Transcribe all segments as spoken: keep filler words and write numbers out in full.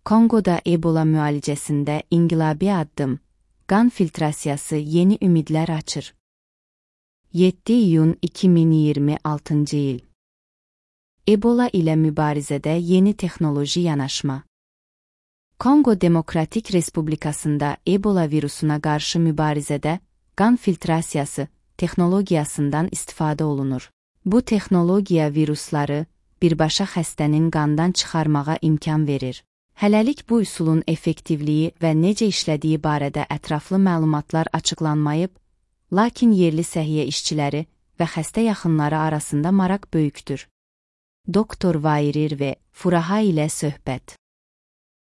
Kongoda Ebola müalicəsində inqilabi addım, qan filtrasiyası yeni ümidlər açır. yeddi iyun iki min iyirmi altıncı il. Ebola ilə mübarizədə yeni texnoloji yanaşma. Kongo Demokratik Respublikasında Ebola virusuna qarşı mübarizədə qan filtrasiyası texnologiyasından istifadə olunur. Bu texnologiya virusları birbaşa xəstənin qandan çıxarmağa imkan verir. Hələlik bu üsulun effektivliyi və necə işlədiyi barədə ətraflı məlumatlar açıqlanmayıb, lakin yerli səhiyyə işçiləri və xəstə yaxınları arasında maraq böyükdür. Doktor Vairir ve Furaha ilə söhbət.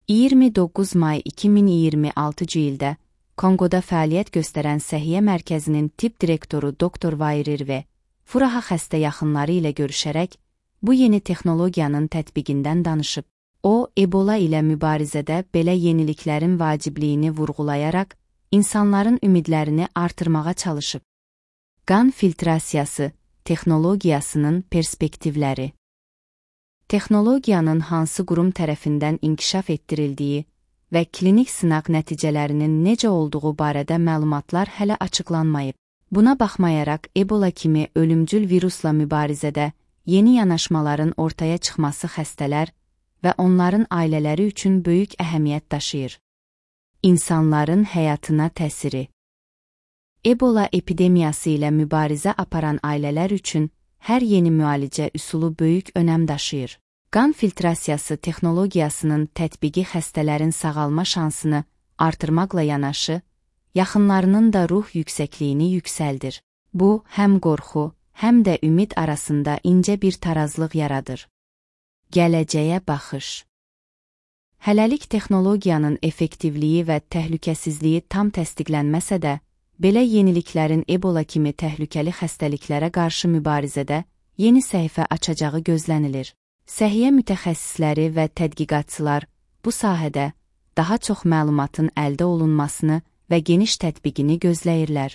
iyirmi doqquz may iki min iyirmi altıncı ildə Kongoda fəaliyyət göstərən səhiyyə mərkəzinin tibb direktoru Doktor Vairir ve Furaha xəstə yaxınları ilə görüşərək bu yeni texnologiyanın tətbiqindən danışıb. O, Ebola ilə mübarizədə belə yeniliklərin vacibliyini vurğulayaraq, insanların ümidlərini artırmağa çalışıb. Qan filtrasiyası texnologiyasının perspektivləri. Texnologiyanın hansı qurum tərəfindən inkişaf etdirildiyi və klinik sınaq nəticələrinin necə olduğu barədə məlumatlar hələ açıqlanmayıb. Buna baxmayaraq, Ebola kimi ölümcül virusla mübarizədə yeni yanaşmaların ortaya çıxması xəstələr və onların ailələri üçün böyük əhəmiyyət daşıyır. İnsanların həyatına təsiri. Ebola epidemiyası ilə mübarizə aparan ailələr üçün hər yeni müalicə üsulu böyük önəm daşıyır. Qan filtrasiyası texnologiyasının tətbiqi xəstələrin sağalma şansını artırmaqla yanaşı, yaxınlarının da ruh yüksəkliyini yüksəldir. Bu, həm qorxu, həm də ümid arasında incə bir tarazlıq yaradır. Gələcəyə baxış. Hələlik texnologiyanın effektivliyi və təhlükəsizliyi tam təsdiqlənməsə də, belə yeniliklərin Ebola kimi təhlükəli xəstəliklərə qarşı mübarizədə yeni səhifə açacağı gözlənilir. Səhiyyə mütəxəssisləri və tədqiqatçılar bu sahədə daha çox məlumatın əldə olunmasını və geniş tətbiqini gözləyirlər.